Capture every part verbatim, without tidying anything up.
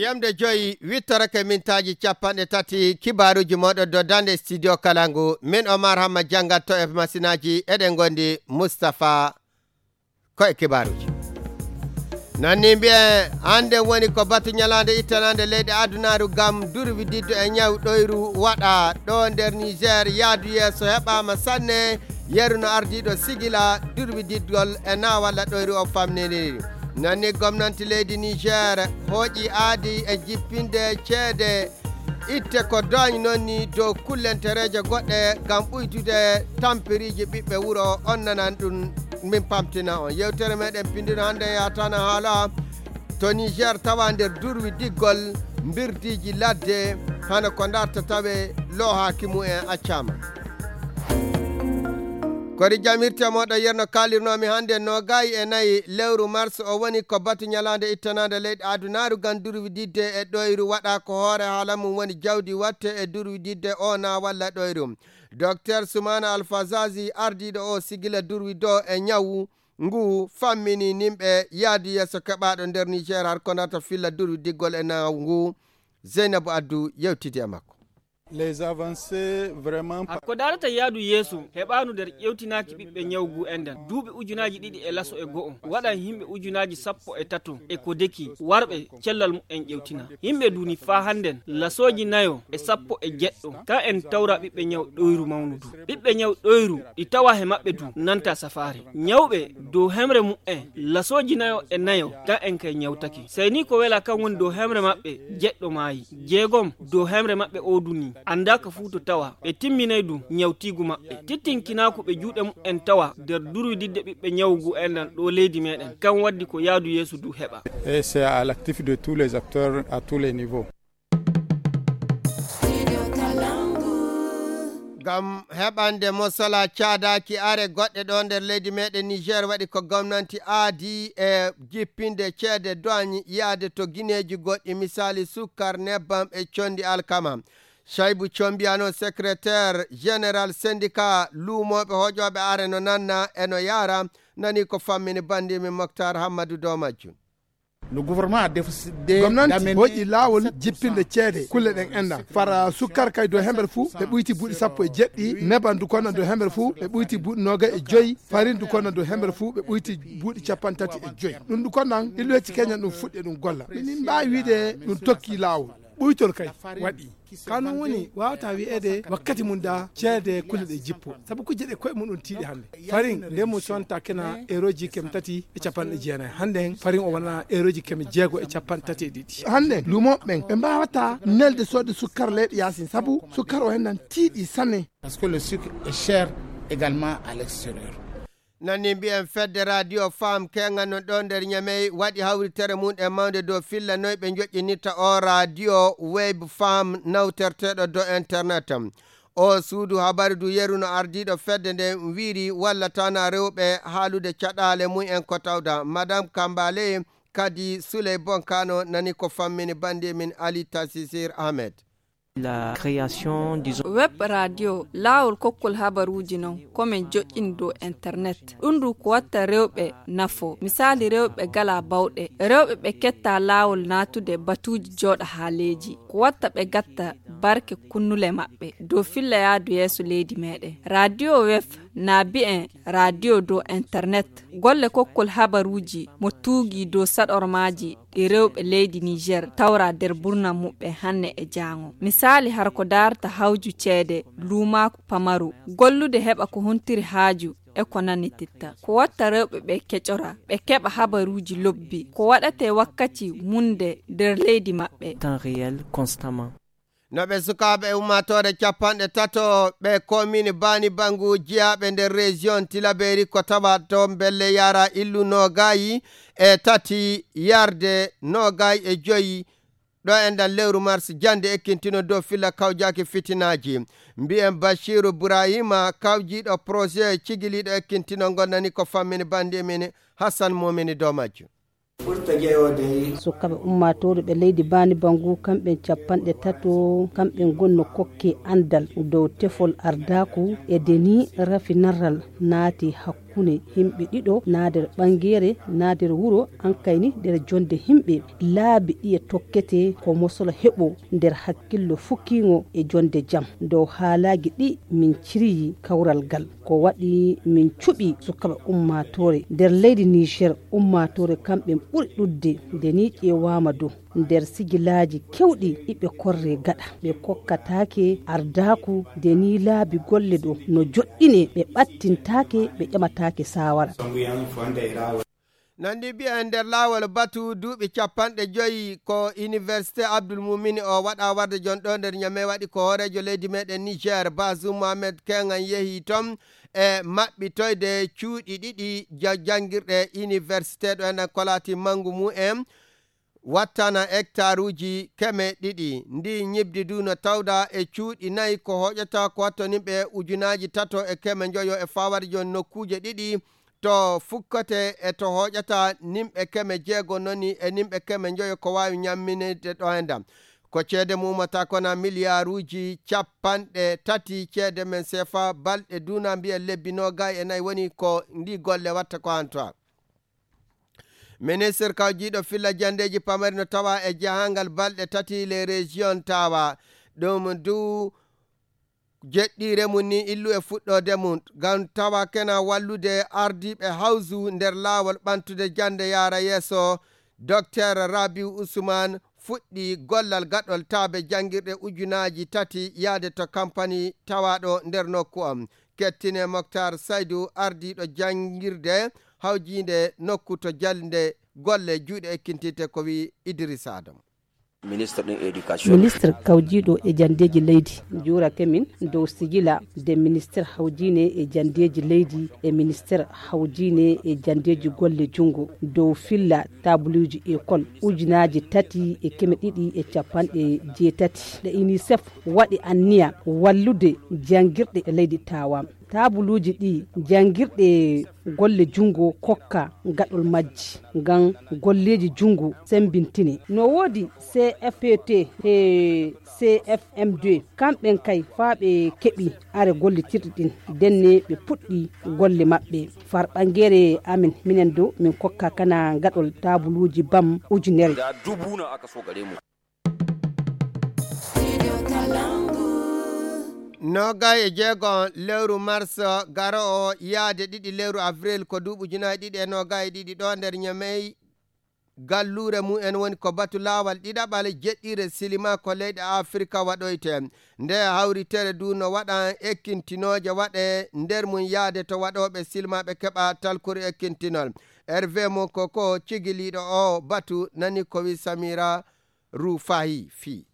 Jemde joyi wittorake mintaaji capanɗe tati kibaaruuji mooɗon dow daande studio kala ngu. Min Omar Hamma janngatto e masinaaji eɗen ngondi Mustapha ko e kibaaruuji. Nanni mbiyen hannde woni ko batu ñalaande ittanaande leyɗe adunaaru ngam durwididde e ñaw ɗoyru waɗa ɗo nder Niger yaadu yeeso heɓaama sanne. Yeru no ardiiɗo sigila durwididgol e naawalla ɗoyru o famniniri. Nanni gomnanti leydi Niger hooƴi aadi e jippinde ceede itte ko dooñ noon ni dow kullentereeje goɗɗe ngam ɓuytude tampiriiji ɓiɓɓe wuro on nanan ɗum. Min pamtina on yewtere meɗen pindino hannde yatana haala to Niger tawa nder durwi diggol mbirdiiji ladde hano ko darta tawe loohaaki mumen accaama. Kori jamirte moɗo yerno kalirnomi hannde nogayi e nayi lewru mars o woni ko batu ñalaande ittanaande leyɗe adunaaru ngam durwididde e ɗoyru waɗa ko hoore haala mum woni jawdi watte e durwididde o na walla ɗoyru. Docteur Soumana Alfazazi ardiiɗo o sigila durwi do e ñawu ngu fammini nimɓe yaadu yeeso keɓaaɗo nder Niger har ko nata filla durwi diggol e nawu ngu. Zeynabu Addu yewtidi e makko. Les avancées vraiment. Ko darata yaadu yeeso heɓaanu nder ƴewtinaaki ɓiɓɓe ñawgu enɗan duuɓi ujunaaji ɗiɗi e laso e go'o waɗan yimɓe ujunaaji sappo e tato e ko deki warɓe cellal mumen ƴewtina. Yimɓe duni faa hannden lasooji nayo e sappo e jeɗɗo ka en tawra ɓiɓɓe ñaw ɗoyru mawnu du. Ɓiɓɓe ñaw ɗoyru ɗi tawa he maɓɓe du nanta safaare. Ñawɓe dow hemre mumen lasooji nayo e nayo ka en kay ñawtake. Sey ni ko wela kan woni dow hemre maɓɓe jeɗɗo maayi. Jeegom dow hemre maɓɓe o duni anndaaka fuu to tawa ɓe timminay du ñawtiigu maɓɓe. Tittinkinaaku ɓe juuɗe mumen tawa nder durwididde ɓiɓɓe ñawgu enɗan ɗo leydi meɗen. Kan waddi ko yaadu yeeso du heɓa. Et c'est à l'actif de tous les acteurs à tous les niveaux. Ngam heɓande mosala caadaaki are goɗɗe ɗo nder leydi meɗen Niger waɗi ko gomnanti aadi e jippinde ceede douane yaade to gineeji goɗɗi, misaali sukkar, nebbam e condi alkama. Shaibu Combiyano, secrétaire général syndicat luumooɓe hoƴooɓe are no nanna e no yaara, nani ko fammini banndi min Moktar Hammadu dow majjum. Le gouvernement a décidé gomnanti d'amener hoƴi laawol jippinde ceede kulle ɗen enɗan fara sukkar kay dow hemere fuu ɓe ɓuyti buuɗi sappo e jeɗɗi, neban du konnan dow hemere fuu ɓe ɓuyti buuɗi noogay e joyi, farin du konnan dow hemere fuu ɓe ɓuyti buuɗi capanɗe tati e joyi. Ɗum du konnan illuwecci keñan ɗum fuɗɗi e ɗum golla. Minin mbaawi wiide ɗum tokki laawol. Ɓuytol kay waɗi. Ka non woni waawata wi'eede wakkati mum da ceede kulle ɗe jippo. Sabu kujje ɗe koye muɗum tiiɗi hannde. Farin nde mum sonta kena erooji keme tati e capanɗe jeenayi. Hannden farin o wona erooji keme jeego e capanɗe tati e ɗiɗi. Hannden luumooɓe ɓen ɓe mbaawata nelde soodde sukkar leyɗe yaasin sabu sukkar o hennan tiiɗi sanne. Parce que le sucre est cher également à l'extérieur. Nani mbiyen fedde radio femme keŋano ɗo nder Ñamey waɗi hawritere mum e mawnde dow filla noy ɓe joƴƴinirta o radio web femme nawterteɗo dow internet. O suudu habaru du yeru no ardiiɗo fedde nde wiiri walla tana rewɓe haalude caɗaale mum en ko tawda madame Kambale kadi Souley Bonkano nani ko fammini bandi min Ali Tasisir Ahmed. La création, disons, web radio laawol kokkol habaruuji non komin joƴƴini dow internet. Ɗum ndu ko watta rewɓe nafo, misaali rewɓe gala bawɗe, rewɓe ɓe ketta laawol naatude batuuji jooɗa haaleeji, ko watta ɓe gatta barke kunnule maɓɓe dow filla yaadu yeeso leydi meɗen. Radio web na bi'en radio dow internet golle kokkol habaruuji mo tuugii dow saɗormaaji ɗi rewɓe leydi Niger tawra nder burna muɓɓe hannde e jaango. Misaali har ko daarta hawju ceede luumaaku pamaru gollude heɓa ko huntiri haaju e ko nanititta ko watta rewɓe ɓe keƴora ɓe keɓa habaruuji lobbi ko waɗate wakkati munde nder leydi maɓɓe. Temps réel constamment. No ɓe sukaaɓe e ummaatoore capanɗe tato ɓe komini baani bangu jiyaaɓe nder région tilaberi ko tawa to mbelle yara illu nogayi e tati yarde nogayi e joyi ɗo e nder lewru mars jannde ekkintino dow filla kawjaaki fitinaaji. Mbiyen Bachiru Burahima kawjiiɗo projet cigiliiɗo ekkintinol ngol nani ko fammini bannde men Hassan Momini dow majjum. Sukaaɓe ummaatooru ɓe leydi Baani Bangu kamɓe capanɗe tato kamɓe ngonno kokke anndal dow tefol ardaaku e deni rafinaral naati hakkunde. Hakkunde yimɓe ɗiɗo, naa nder ɓangeere, naa nder wuro, ankayni nder jonde yimɓe. Laabi ɗiye tokkete ko mosolo heɓo nder hakkillo fukkiŋo e jonde jam. Dow haalaaji ɗi min ciriyi kawral gal. Ko waɗi min cuɓi sukaaɓe ummaatoore nder leydi Niger. Ummaatoore kamɓe ɓuri ɗuɗde nde ni ƴeewaama dow nder sigilaaji kewɗi iɓe korre gaɗa. Ɓe kokkataake ardaaku nde ni laabi golle ɗo no joɗɗine, ɓe ɓattintaake, ɓe ƴamataake saawara. Nandi mbiya e nder laawol batu duuɓi capanɗe joyi ko Université Abdoul Moumini o waɗa warde jon ɗo nder Ñame waɗi ko hooreejo leydi meɗen Niger Bazoum Mohamed Kengan yehi ton e maɓɓitoyde cuuɗi ɗiɗi ja- janngirɗe université ɗo enen ko laati manngu mum en wattana hectaruuji keme ɗiɗi. Ndi ñibdi du no tawda e cuuɗi nayi ko hoƴata ko wattonimɓe ujunaaji tato e keme njoyo e fawade jon nokkuuje ɗiɗi to fukkate e to hoƴata nimɓe keme jeego noni e nimɓe keme njoyo ko waawi ñamminede ɗo e ndam. Ko ceede mum ummata kona miliyaaruuji capanɗe tati ceede men sefa balɗe duna mbiya lebbi noogay e nayi woni ko ndi golle watta ko hantoa. Ministre kawjiiɗo filla jandeeji pamari no tawa e jahangal balɗe tati les régions tawa ɗum du jeɗɗiire mum ni illu e fuɗɗoode mum ngam tawa kena wallude ardiiɓe hawsu nder laawol ɓantude jannde yaara yeeso. Docteur Rabiu Usman fuɗɗi gollal gaɗol taabe janngirɗe ujunaaji tati yaade to kampani tawaaɗo nder nokku on. Kettine Moktar Saydu ardiiɗo janngirde hawjiinde nokku to jannde golle juuɗe ekkintitte ko wi Idrissa Adam. Ministre kawjiiɗo e janndeeji leydi juurake min dow sigila de ministre hawjiine e janndeeji leydi e ministre hawjiine e janndeeji golle junngo dow filla taabuluuji ekol ujunaaji tati e keme ɗiɗi e capanɗe jeetati ɗe unicef waɗi anniya wallude janngirɗe e leydi tawa. Taabuluuji ɗi janngirɗe golle junngo kokka gaɗol majji ngam golleeji junngo semmbintine. No woodi C F P T e C F M deux, kamɓen kay faa ɓe keɓi are gollitirɗi ɗin, ndenne ɓe puɗɗi golle maɓɓe. Far ɓangeere amin minen dow min kokka kana gaɗol taabuluuji bam ujunere. Noogay e jeego lewru mars garo o yaade ɗiɗi lewru avril ko duuɓi ujunaaji ɗiɗi e noogay e ɗiɗi ɗo nder Ñamey. Galluure mum en woni ko batu laawal ɗiɗaɓal jeɗɗiire silima ko leyɗe Afrika waɗoyte. Nde hawritere du no waɗa ekkintinooje waɗe nder mum yaade to waɗooɓe silmaaɓe keɓa talkuru ekkintinol. Hervé Mokoko cigiliiɗo o batu nani ko wi Samira Rufahi fii.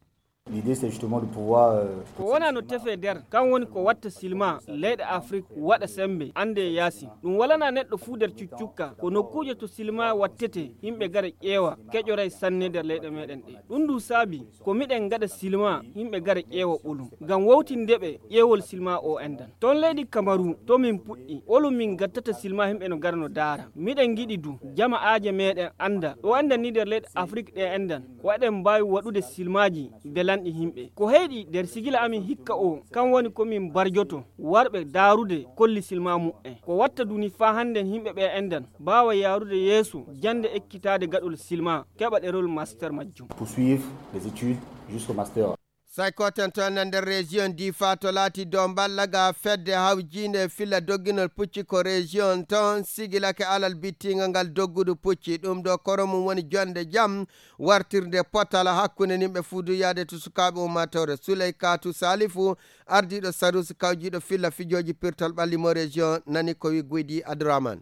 L'idée, c'est justement de pouvoir. Ko wona no tefe nder kan woni ko watta silma leyɗe Afrik waɗa sembe ande e yaasin. Ɗum walana neɗɗo fuu nder cuccukka ko nokkuuje to silma wattete yimɓe gara ƴeewa keƴoray sanne nder leyɗe meɗen ɗe. Ɗum ndu saabi ko miɗen ngaɗa silma yimɓe gara ƴeewa ɓolum ngam wowtinde ɓe ƴeewol silma o endan. Ton leydi Kamaru to min puɗɗi ɓolum min gattata silma yimɓe no gara no daara. Miɗen ngiɗi du jama aaje meɗen anda ɗo endan ni nder leyɗe Afrik ɗe endan. Ko eɗen mbaawi waɗude silmaaji belanɗi yimɓe. Ko heyɗi nder sigila amin hikka o kan woni ko min mbarjoto warɓe daarude kolli silma muɓɓen. Ko watta duni faa hannden yimɓe ɓe endan mbaawa yaarude yeeso jannde ekkitaade gaɗol silma keɓa ɗerol master majjum. Poursuivre les études jusqu'au master. Saykoten to nder région Difa to laati dow mballa ga fedde hawjiinde filla dogginol pucci ko région ton sigilake alal bittinga ngal doggudu pucci ɗum ɗo koro mum woni jonde jam wartirde potal hakkunde nimɓe fuudu yaade to sukaaɓe ummatore Suley Katu Salifu ardiiɗo Sarusi kawjiiɗo filla fijooji pirtol ɓalli mo région nani ko wi Guydi Adraman.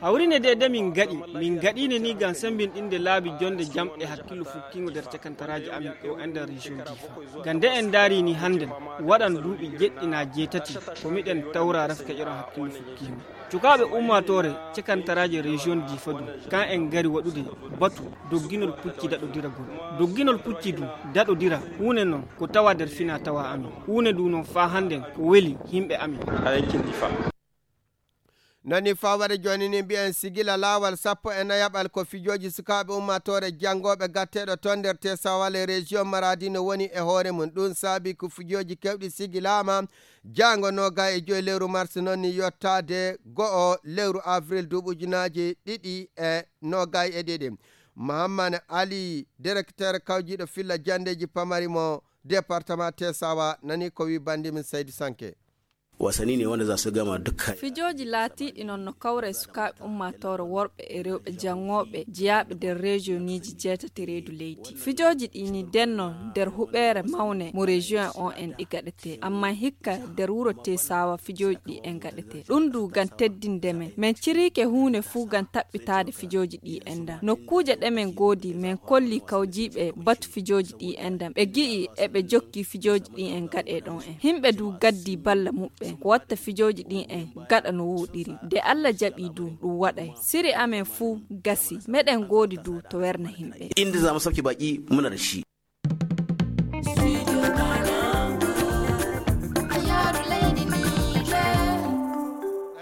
Hawrine de de min gaɗi min gaɗine ni ngam sembinɗinde laabi jonde jam e hakkillo fukkingo nder cakantaraaji amin ɗo e nder région Difa. Ngam nde en ndaari ni hannden waɗan duuɓi jeɗɗi naa jeetati ko miɗen tawra rafkeƴoran hakkillo fukkingo. Cukaaɓe ummaatoore cakantaraaji région Difa du kan en ngari waɗude batu dogginol pucci daɗodiragol. Dogginol pucci du daɗodira huunde non ko tawa nder fina tawa amin. Huunde du non faa hannden ko weli yimɓe amin. Nani faa waɗa jooni ni mbiyen sigila laawal sappo e nayaɓal ko fijooji sukaaɓe ummaatoore janngooɓe gatteeɗo toon nder Tesawa le région Maradi no woni e hoore mum. Ɗum saabi ko fijooji keewɗi sigilaama jaango noogay e joyi lewru mars noon ni yottaade go'o lewru avril duuɓi ujunaaji ɗiɗi e noogay e ɗiɗi. Mahammane Ali, directeur kawjiiɗo filla janndeeji pamari mo département Tesawa, nani ko wi banndi min Saydu Sanke. Wasanni ne wanda za su gama dukkan. Fijooji laatiiɗi noon no kawra e sukaaɓe ummaatoore worɓe e rewɓe janngooɓe jeyaaɓe nder rejiyoniji jeetati reedu leydi. Fijooji ɗi ni denno nder huɓeere mawne mo rejiyon on en ɗi gaɗetee. Amma hikka nder wuro Tesawa fijooji ɗi en gaɗetee. Ɗum du ngam teddinde men. Men ciriike huunde fuu ngam taɓɓitaade fijooji ɗi en da. Nokkuuje ɗe men ngoodi, men kolli kawjiiɓe batu fijooji ɗi en da. Ɓe gi'i e ɓe jokki fijooji ɗi en gaɗe ɗon en. Himɓe du gaddi balla muɓɓen. Ko watta fijooji ɗi en gaɗa no woɗiri. Nde Allah jaɓi du, ɗum waɗay. Siri amen fuu gasi. Meɗen ngoodi du to werna himɓe. Inda za mu sauke baƙi muna da shi.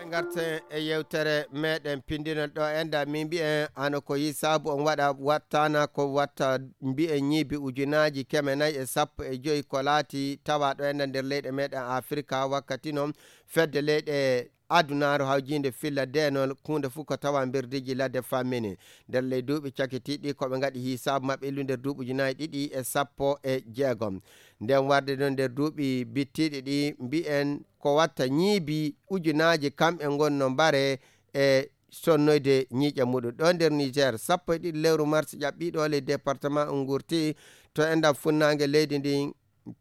En ngarten e yewtere meɗen pinndinol ɗo enda min mbiyen hano ko yi saabu on waɗa wattana ko watta mbiyen ñiibi ujunaaji keme nayi e sappo e joyi ko laati tawa ɗo enda nder leyɗe meɗen Afirka wakkati noon fedde leyɗe adunaaru hawjiinde filla deenol huunde fof ko tawa mbirdiiji ladde fammini nder ley duuɓi cakitiiɗi ko ɓe ngaɗi hisaabu maɓɓe illu nder duuɓi ujunaaji ɗiɗi e sappo e jeegom. Nden warde noon nder duuɓi bittiiɗi ɗi mbiyen ko watta ñiibi ujunaaji kamɓe ngon no mbare e sonnoyde ñiiƴe muɗum ɗo nder Niger sappo e ɗiɗi lewru mars ƴaɓɓiiɗo ley département ngurti to endam funnaange leydi ndi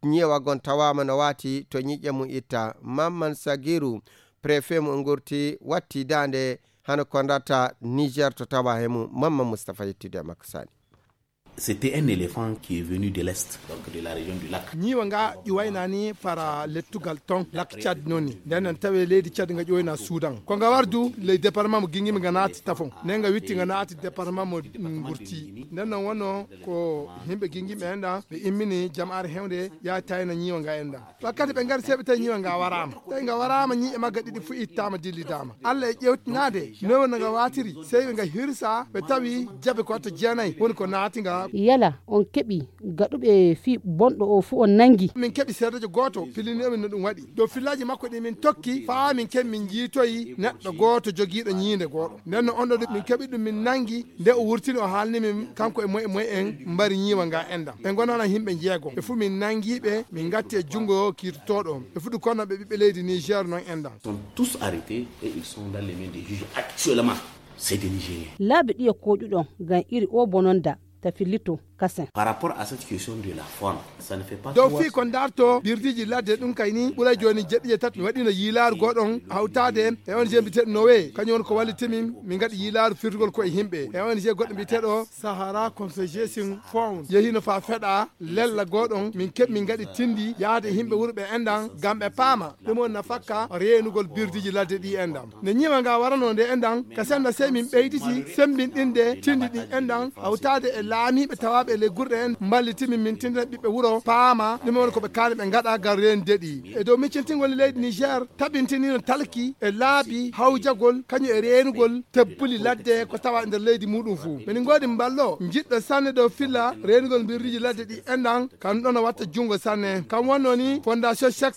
ñiiwa gon tawaama no waati to ñiiƴe mum itta. Mamman Sagiru, préfet mo ngurti, watti daande hano ko ndata Niger to tawa he mum. Mamman Mustapha yettude e makko sani. C'était un éléphant qui est venu de l'est, donc de la région du lac. Ñiiwa nga ƴuwayna ni para lettugal ton lak Tchad noni. Nden nan tawe leydi Tchad nga ƴuwayna Soudan. Ko nga wardu ley département mo Gingimi nga naati Tafon. Nden nga witti nga naati département mo Ngurti. Nden nan wonno ko himɓe Gingimi en ɗa ɓe immini jama'ar hewnde yaa tayna ñiiwa nga en ɗa. Wakkati ɓe ngari seɓe tawi ñiiwa nga waraama. Tawi nga waraama ñiiƴe magga ɗiɗi fu ittaama dillidaama. Allah e ƴewtinaade noy wonno nga waatiri. Sey ɓe nga hirsa ɓe tawi jabe ko watta jeenayi woni ko naati nga. Yala on keɓi gaɗuɓe fii bonɗo o fuu on nangi? Min keɓi seedejo gooto pillini min no ɗum waɗi. Dow fillaaji makko ɗi min tokki faa min keɓi min njiitoyi neɗɗo gooto jogiiɗo ñiinde gooɗo. Nden no on ɗo min keɓi ɗum min nangi nde o wurtini o haalni min kanko e moye e moye en mbari ñiiwa nga endam. Ɓe ngonana yimɓe njeego. Ɓe fuu min nangi ɓe min ngatti e junngo kiirtotooɗo. Ɓe fuu du kono ɓe ɓiɓɓe leydi Niger noon endam. Sont tous arrêtés et ils sont dans les mains des juges actuellement. C'est des Nigériens. Laabi ɗiye koɗuɗon ngam iri o bononda ta fillito kasen. Par rapport à cette question de la forme, ça ne fait pas. Dow fii ko ndarto birdiiji ladde ɗum kay ni ɓuray jooni jeɗɗi e tati mi waɗino yiilaaru goɗon hawtaade e O N G mbiyeteeɗo Nowe kañum woni ko wallitimin min ngaɗi yiilaaru firtugol ko e yimɓe e O N G goɗɗo mbiyeteeɗo Sahara Conservation Fund yehino faa feɗa lella goɗon min keɓ min ngaɗi tindi yaade e yimɓe wuro ɓe endan ngam ɓe paama. Ɗum woni nafakka reenugol birdiiji ladde ɗi endam. Nde ñiiwa nga warano nde endam, ka senda sey min ɓeyditi semmbinɗinde tindi ɗi endam, hawtaade e laamiiɓe tawaaɓe e ley gurɗe en, mballitimin min tindina ɓiɓɓe wuro, paama ɗum woni ko ɓe kaani ɓe ngaɗa ngam reenude ɗi. E dow miccintingol leydi Niger, tabintinino talki e laabi hawjagol, kañum e reenugol tebbuli ladde ko tawa e nder leydi muɗum fuu. Min ngoodi mballo, njiɗɗo sanne dow filla reenugol mbirdiiji ladde ɗi endam, kam ɗon o watta junngo sanne. Kam wonno ni Fondation Cheikh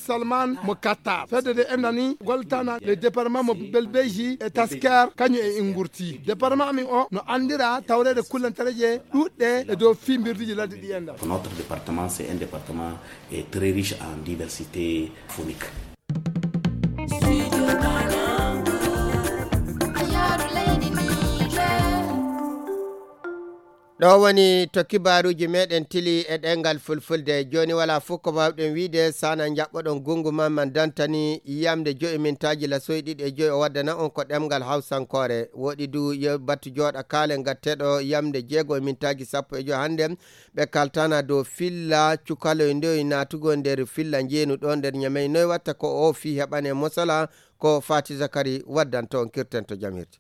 Salman mo Qatar. Fedde nde enɗan ni gollitana le département mo Belbeji e Tasker, kañum e Ingurti. Département amin o no anndira tawreede kullantareeje ɗuɗɗe e dow fii mbirdiiji ladde ɗi enɗan. Notre département, c'est un département, eh, très riche en diversité faunique. Ɗo woni to kibaaruuji meɗen tili e ɗemngal fulfulde. Jooni walaa fof ko mbaawɗen wiyde, sana njaɓɓoɗon gunngu man, man dantani yamde joyi mintaaji lasoyi ɗiɗi e joyi o waddana on ko ɗemngal hawsankoore. Woɗi du yo battu jooɗa kaalen gatteɗo yamde jeego e mintaaji sappo e joyi hannde. Ɓe kaltana dow filla cukaloy ndoy naatugol nder filla njeenu ɗo nder Ñamey. Noy watta ko o fii heɓane mosala ko Fati Zakari waddanto on kirten to jam hirti.